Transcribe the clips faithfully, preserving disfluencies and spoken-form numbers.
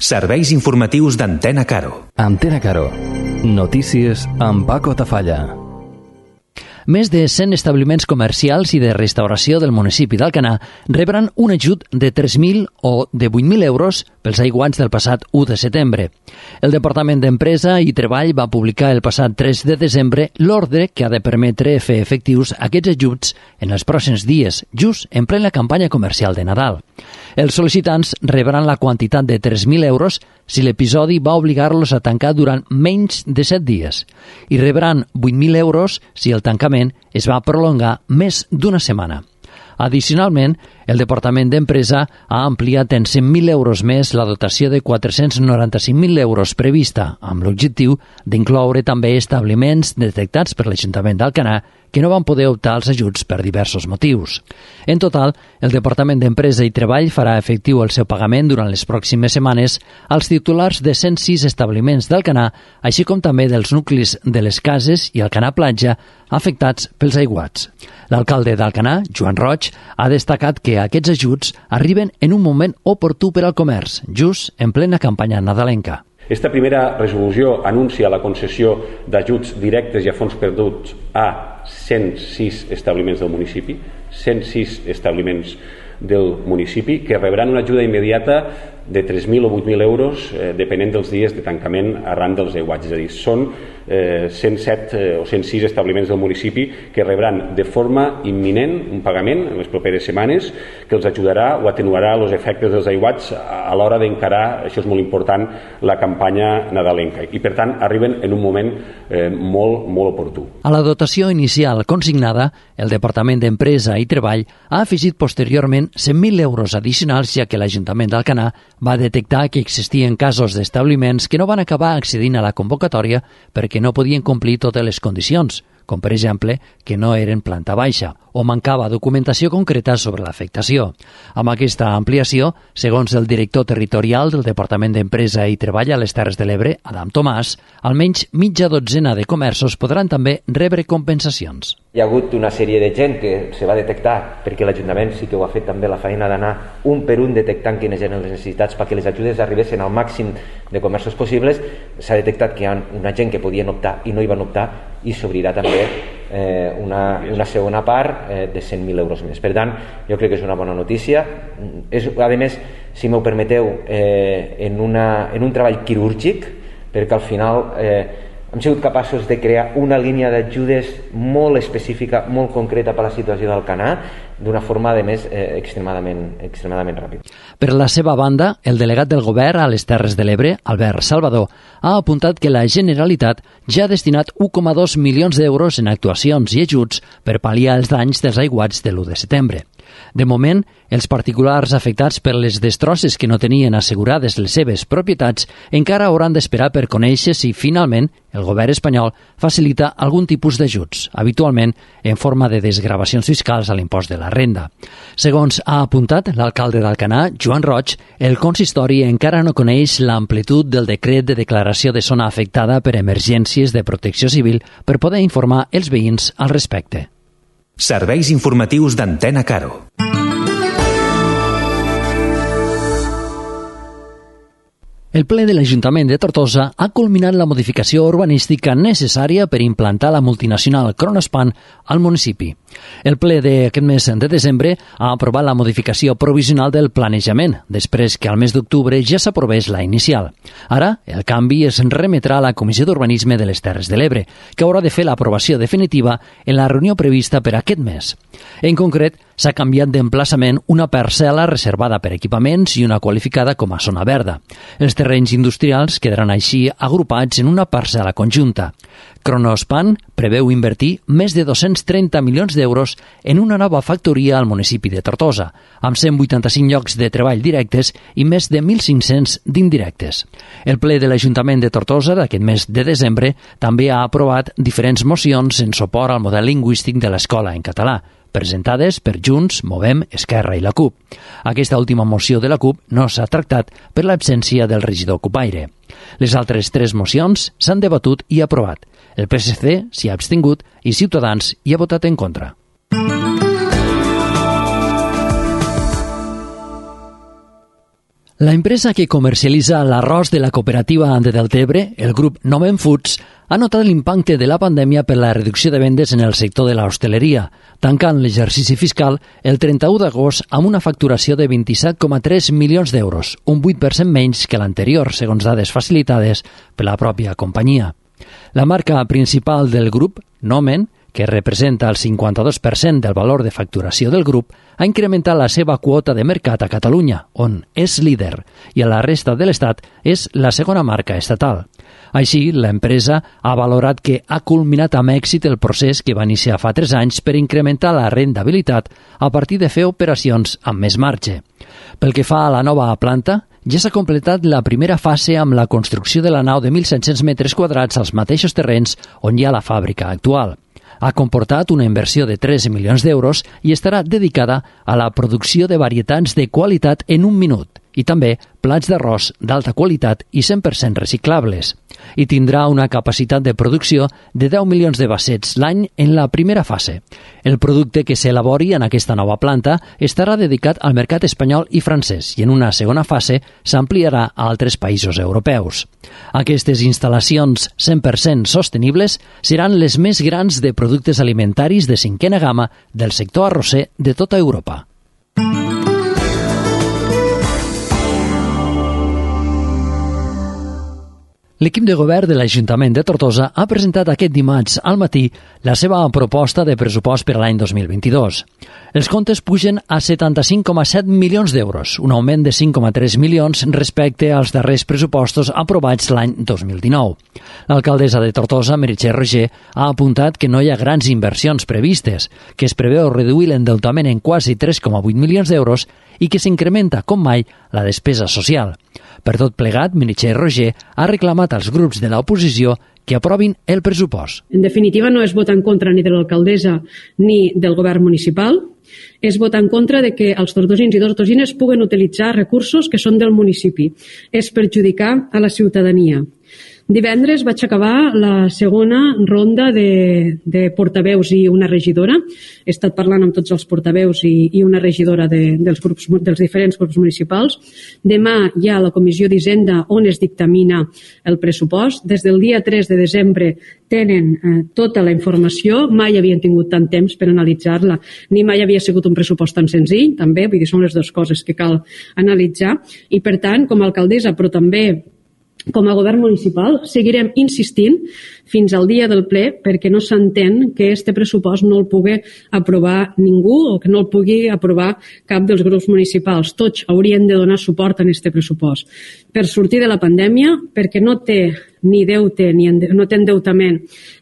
Serveis informatius d'Antena Caro. Antena Caro. Notícies amb Paco Tafalla. Més de cent establiments comercials i de restauració del municipi d'Alcanar rebran un ajut de tres mil o de vuit mil euros pels aiguats del passat u de setembre. El Departament d'Empresa i Treball va publicar el passat tres de desembre l'ordre que ha de permetre fer efectius aquests ajuts en els pròxims dies, just en plena campanya comercial de Nadal. Els sol·licitants rebran la quantitat de tres mil euros si l'episodi va obligar-los a tancar durant menys de set dies i rebran vuit mil euros si el tancament es va prolongar més d'una setmana. Addicionalment, el Departament d'Empresa ha ampliat en cent mil euros més la dotació de quatre-cents noranta-cinc mil euros prevista, amb l'objectiu d'incloure també establiments detectats per l'Ajuntament d'Alcanar que no van poder optar als ajuts per diversos motius. En total, el Departament d'Empresa i Treball farà efectiu el seu pagament durant les pròximes setmanes als titulars de cent sis establiments d'Alcanar, així com també dels nuclis de les cases i Alcanar Platja afectats pels aiguats. L'alcalde d'Alcanar, Joan Roig, ha destacat que aquests ajuts arriben en un moment oportú per al comerç, just en plena campanya nadalenca. Esta primera resolució anuncia la concessió d'ajuts directes i a fons perduts a cent sis establiments del municipi, cent sis establiments del municipi, que rebran una ajuda immediata de tres mil o vuit mil euros, eh, depenent dels dies de tancament arran dels aiguats. És a dir, són eh, cent set eh, o cent sis establiments del municipi que rebran de forma imminent un pagament en les properes setmanes que els ajudarà o atenuarà els efectes dels aiguats a, a l'hora d'encarar, això és molt important, la campanya nadalenca. I, per tant, arriben en un moment eh, molt, molt oportú. A la dotació inicial consignada, el Departament d'Empresa i Treball ha afegit posteriorment cent mil euros addicionals, ja que l'Ajuntament d'Alcanar va detectar que existien casos d'establiments que no van acabar accedint a la convocatòria perquè no podien complir totes les condicions, com per exemple que no eren planta baixa o mancava documentació concreta sobre l'afectació. Amb aquesta ampliació, segons el director territorial del Departament d'Empresa i Treball a les Terres de l'Ebre, Adam Tomàs, almenys mitja dotzena de comerços podran també rebre compensacions. Hi ha hagut una sèrie de gent que se va detectar, perquè l'Ajuntament sí que ho ha fet també la feina d'anar un per un detectant quines eren les necessitats perquè les ajudes arribessin al màxim de comerços possibles. S'ha detectat que hi ha una gent que podien optar i no hi van optar, i s'obrirà també eh, una, una segona part eh, de cent mil euros més. Per tant, jo crec que és una bona notícia. És, a més, si m'ho permeteu, eh, en, una, en un treball quirúrgic, perquè al final eh, hem sigut capaços de crear una línia d'ajudes molt específica, molt concreta per a la situació d'Alcanar, d'una forma, a més, eh, extremadament, extremadament ràpida. Per la seva banda, el delegat del govern a les Terres de l'Ebre, Albert Salvador, ha apuntat que la Generalitat ja ha destinat un coma dos milions d'euros en actuacions i ajuts per pal·liar els danys dels aiguats de l'u de setembre. De moment, els particulars afectats per les destrosses que no tenien assegurades les seves propietats encara hauran d'esperar per conèixer si, finalment, el govern espanyol facilita algun tipus d'ajuts, habitualment en forma de desgravacions fiscals a l'impost de la renda. Segons ha apuntat l'alcalde d'Alcanar, Joan Roig, el consistori encara no coneix l'amplitud del decret de declaració de zona afectada per emergències de protecció civil per poder informar els veïns al respecte. Serveis informatius d'Antena Caro. El ple de l'Ajuntament de Tortosa ha culminat la modificació urbanística necessària per implantar la multinacional Kronospan al municipi. El ple d'aquest mes de desembre ha aprovat la modificació provisional del planejament, després que al mes d'octubre ja s'aprovés la inicial. Ara, el canvi es remetrà a la Comissió d'Urbanisme de les Terres de l'Ebre, que haurà de fer l'aprovació definitiva en la reunió prevista per aquest mes. En concret, s'ha canviat d'emplaçament una parcel·la reservada per equipaments i una qualificada com a zona verda. Els terrenys industrials quedaran així agrupats en una parcel·la conjunta. Kronospan preveu invertir més de dos-cents trenta milions d'euros en una nova factoria al municipi de Tortosa, amb cent vuitanta-cinc llocs de treball directes i més de mil cinc-cents d'indirectes. El ple de l'Ajuntament de Tortosa d'aquest mes de desembre també ha aprovat diferents mocions en suport al model lingüístic de l'escola en català, presentades per Junts, Movem, Esquerra i la CUP. Aquesta última moció de la CUP no s'ha tractat per l'absència del regidor Cupaire. Les altres tres mocions s'han debatut i aprovat. El P S C s'hi ha abstingut i Ciutadans hi ha votat en contra. La empresa que comercialitza l'arròs de la cooperativa de Deltebre, el grup Nomen Foods, ha notat l'impacte de la pandèmia per la reducció de vendes en el sector de l'hostaleria, tancant l'exercici fiscal el trenta-u d'agost amb una facturació de vint-i-set coma tres milions d'euros, un vuit per cent menys que l'anterior, segons dades facilitades per la pròpia companyia. La marca principal del grup, Nomen, que representa el cinquanta-dos per cent del valor de facturació del grup, ha incrementat la seva quota de mercat a Catalunya, on és líder, i a la resta de l'Estat és la segona marca estatal. Així, l'empresa ha valorat que ha culminat amb èxit el procés que va iniciar fa tres anys per incrementar la rendibilitat a partir de fer operacions amb més marge. Pel que fa a la nova planta, ja s'ha completat la primera fase amb la construcció de la nau de mil set-cents metres quadrats als mateixos terrenys on hi ha la fàbrica actual. Ha comportat una inversió de tres milions d'euros i estarà dedicada a la producció de varietats de qualitat en un minut i també plats d'arròs d'alta qualitat i cent per cent reciclables. I tindrà una capacitat de producció de deu milions de vassets l'any en la primera fase. El producte que s'elabori en aquesta nova planta estarà dedicat al mercat espanyol i francès i en una segona fase s'ampliarà a altres països europeus. Aquestes instal·lacions cent per cent sostenibles seran les més grans de productes alimentaris de cinquena gamma del sector arrosser de tota Europa. L'equip de govern de l'Ajuntament de Tortosa ha presentat aquest dimarts al matí la seva proposta de pressupost per a l'any dos mil vint-i-dos. Els comptes pugen a setanta-cinc coma set milions d'euros, un augment de cinc coma tres milions respecte als darrers pressupostos aprovats l'any dos mil dinou. L'alcaldessa de Tortosa, Meritxell Roger, ha apuntat que no hi ha grans inversions previstes, que es preveu reduir l'endeutament en quasi tres coma vuit milions d'euros i que s'incrementa, com mai, la despesa social. Per tot plegat, Meritxell Roger ha reclamat als grups de l'oposició que aprovin el pressupost. En definitiva, no és votar en contra ni de l'alcaldessa ni del govern municipal, és votar en contra de que els tortosins i tortosines puguen utilitzar recursos que són del municipi. És perjudicar a la ciutadania. Divendres vaig acabar la segona ronda de, de portaveus i una regidora. He estat parlant amb tots els portaveus i, i una regidora de, dels, grups, dels diferents grups municipals. Demà hi ha la Comissió d'Hisenda on es dictamina el pressupost. Des del dia tres de desembre tenen eh, tota la informació. Mai havien tingut tant temps per analitzar-la, ni mai havia sigut un pressupost tan senzill, també, vull dir, són les dues coses que cal analitzar. I per tant, com a alcaldessa, però també com a govern municipal, seguirem insistint fins al dia del ple perquè no s'entén que este pressupost no el pugui aprovar ningú o que no el pugui aprovar cap dels grups municipals. Tots haurien de donar suport a este pressupost. Per sortir de la pandèmia, perquè no té ni deute, ni no té endeutament,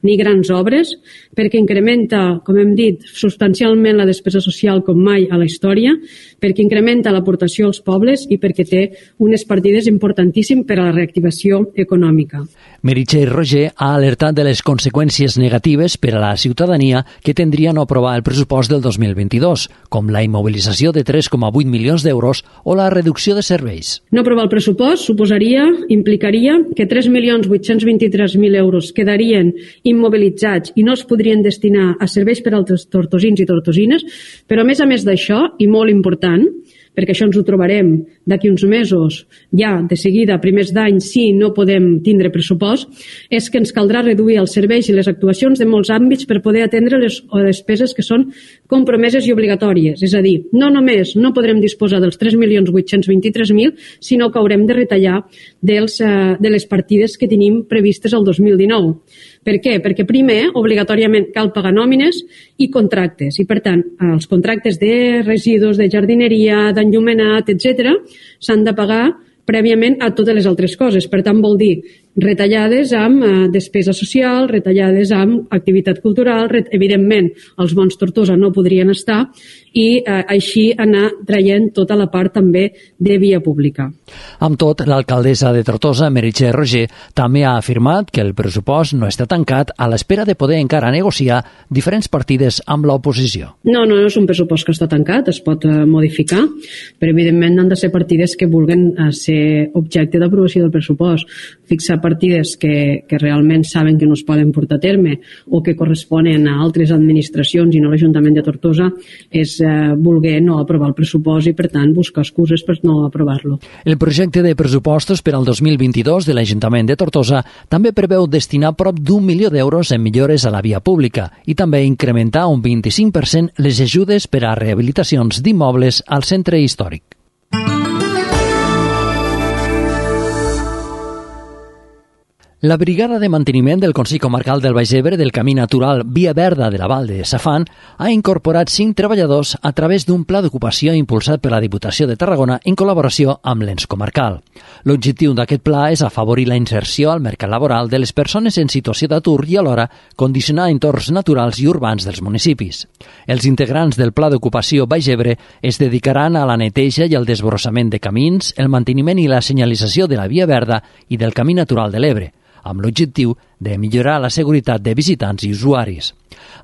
ni grans obres, perquè incrementa, com hem dit, substancialment la despesa social com mai a la història, perquè incrementa l'aportació als pobles i perquè té unes partides importantíssimes per a la reactivació econòmica. Meritxell Roger ha alertat de les conseqüències negatives per a la ciutadania que tindria no aprovar el pressupost del dos mil vint-i-dos, com la immobilització de tres coma vuit milions d'euros o la reducció de serveis. No aprovar el pressupost suposaria, implicaria que tres milions vuit-cents vint-i-tres mil euros quedarien immobilitzats i no es podrien destinar a serveis per als tortosins i tortosines, però a més a més d'això, i molt important, perquè això ens ho trobarem d'aquí uns mesos, ja de seguida, a primers d'any, si no podem tindre pressupost, és que ens caldrà reduir els serveis i les actuacions de molts àmbits per poder atendre les despeses que són compromeses i obligatòries. És a dir, no només no podrem disposar dels tres milions vuit-cents vint-i-tres mil, sinó que haurem de retallar dels, eh, de les partides que tenim previstes el dos mil dinou. Per què? Perquè primer, obligatòriament, cal pagar nòmines i contractes. I, per tant, els contractes de residus, de jardineria, d'enllumenat, etcètera, s'han de pagar prèviament a totes les altres coses. Per tant, vol dir retallades amb eh, despesa social, retallades amb activitat cultural, ret... evidentment, els bons Tortosa no podrien estar i eh, així anar traient tota la part també de via pública. Amb tot, l'alcaldessa de Tortosa, Meritxell Roger, també ha afirmat que el pressupost no està tancat a l'espera de poder encara negociar diferents partides amb l'oposició. No, no, no és un pressupost que està tancat, es pot eh, modificar, però evidentment han de ser partides que vulguen eh, ser objecte d'aprovació del pressupost. Fixar partides que, que realment saben que no es poden portar a terme o que corresponen a altres administracions i no l'Ajuntament de Tortosa, és eh, voler no aprovar el pressupost i, per tant, buscar excuses per no aprovar-lo. El projecte de pressupostos per al dos mil vint-i-dos de l'Ajuntament de Tortosa també preveu destinar prop d'un milió d'euros en millores a la via pública i també incrementar un vint-i-cinc per cent les ajudes per a rehabilitacions d'immobles al centre històric. La Brigada de Manteniment del Consell Comarcal del Baix Ebre del Camí Natural Via Verda de la Val de Safant ha incorporat cinc treballadors a través d'un pla d'ocupació impulsat per la Diputació de Tarragona en col·laboració amb l'ens comarcal. L'objectiu d'aquest pla és afavorir la inserció al mercat laboral de les persones en situació d'atur i alhora condicionar entorns naturals i urbans dels municipis. Els integrants del pla d'ocupació Baix Ebre es dedicaran a la neteja i al desbrossament de camins, el manteniment i la senyalització de la Via Verda i del Camí Natural de l'Ebre, amb l'objectiu de millorar la seguretat de visitants i usuaris.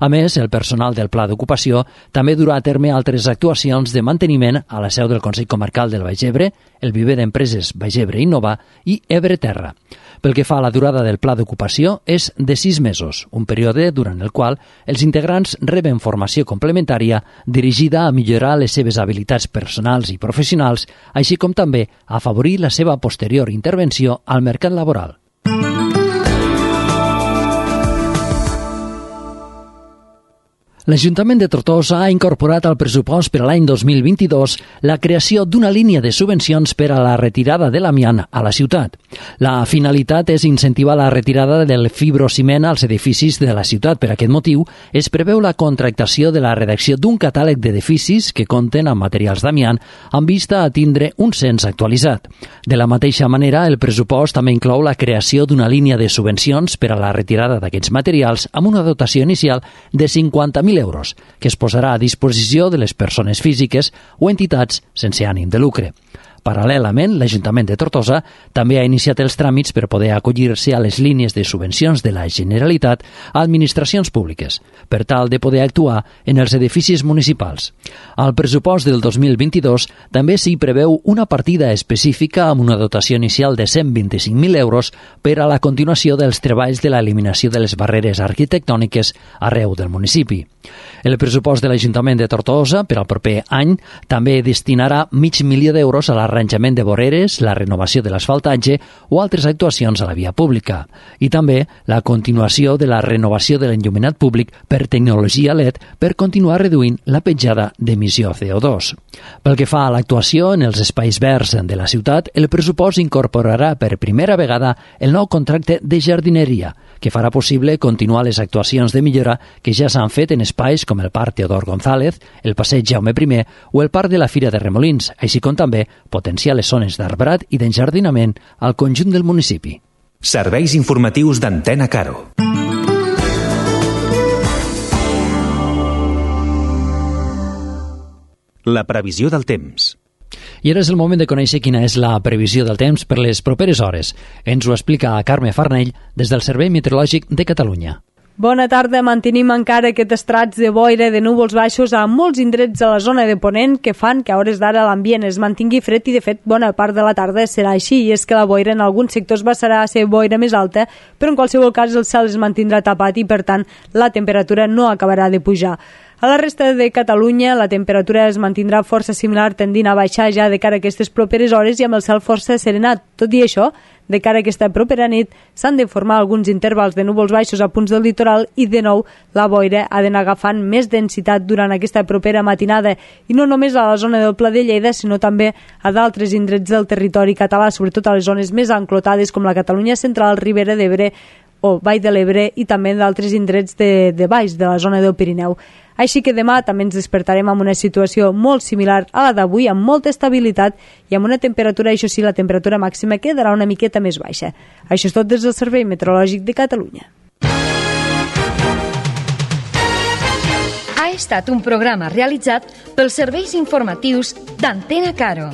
A més, el personal del Pla d'Ocupació també durà a terme altres actuacions de manteniment a la seu del Consell Comarcal del Baix Ebre, el viver d'empreses Baix Ebre Innova i Ebre Terra. Pel que fa a la durada del Pla d'Ocupació, és de sis mesos, un període durant el qual els integrants reben formació complementària dirigida a millorar les seves habilitats personals i professionals, així com també a afavorir la seva posterior intervenció al mercat laboral. L'Ajuntament de Tortosa ha incorporat al pressupost per a l'any dos mil vint-i-dos la creació d'una línia de subvencions per a la retirada de l'amiant a la ciutat. La finalitat és incentivar la retirada del fibrociment als edificis de la ciutat. Per aquest motiu, es preveu la contractació de la redacció d'un catàleg d'edificis que compten amb materials d'amiant amb vista a tindre un cens actualitzat. De la mateixa manera, el pressupost també inclou la creació d'una línia de subvencions per a la retirada d'aquests materials amb una dotació inicial de cinquanta mil euros, que es posarà a disposició de les persones físiques o entitats sense ànim de lucre. Paral·lelament, l'Ajuntament de Tortosa també ha iniciat els tràmits per poder acollir-se a les línies de subvencions de la Generalitat a administracions públiques, per tal de poder actuar en els edificis municipals. Al pressupost del dos mil vint-i-dos també s'hi preveu una partida específica amb una dotació inicial de cent vint-i-cinc mil euros per a la continuació dels treballs de l'eliminació de les barreres arquitectòniques arreu del municipi. El pressupost de l'Ajuntament de Tortosa per al proper any també destinarà mig milió d'euros a la arranjament de voreres, la renovació de l'asfaltatge o altres actuacions a la via pública. I també la continuació de la renovació de l'enllumenat públic per tecnologia L E D per continuar reduint la petjada d'emissió C O dos. Pel que fa a l'actuació en els espais verds de la ciutat, el pressupost incorporarà per primera vegada el nou contracte de jardineria, que farà possible continuar les actuacions de millora que ja s'han fet en espais com el Parc Teodor González, el Passeig Jaume primer o el Parc de la Fira de Remolins, així com també potenciar les zones d'arbrat i d'enjardinament al conjunt del municipi. Serveis informatius d'Antena Caro. La previsió del temps. I ara és el moment de conèixer quina és la previsió del temps per les properes hores. Ens ho explica Carme Farnell des del Servei Meteorològic de Catalunya. Bona tarda. Mantenim encara aquest estrats de boira de núvols baixos a molts indrets de la zona de Ponent que fan que a hores d'ara l'ambient es mantingui fred i, de fet, bona part de la tarda serà així. I és que la boira en alguns sectors passarà a ser boira més alta, però en qualsevol cas el cel es mantindrà tapat i, per tant, la temperatura no acabarà de pujar. A la resta de Catalunya la temperatura es mantindrà força similar, tendint a baixar ja de cara a aquestes properes hores i amb el cel força serenat. Tot i això, de cara a aquesta propera nit s'han de formar alguns intervals de núvols baixos a punts del litoral i, de nou, la boira ha d'anar agafant més densitat durant aquesta propera matinada, i no només a la zona del Pla de Lleida, sinó també a d'altres indrets del territori català, sobretot a les zones més enclotades com la Catalunya central, Ribera d'Ebre o Vall de l'Ebre i també d'altres indrets de, de baix, de la zona del Pirineu. Així que demà també ens despertarem amb una situació molt similar a la d'avui, amb molta estabilitat i amb una temperatura, això sí, la temperatura màxima quedarà una miqueta més baixa. Això és tot des del Servei Meteorològic de Catalunya. Ha estat un programa realitzat pels serveis informatius d'Antena Caro.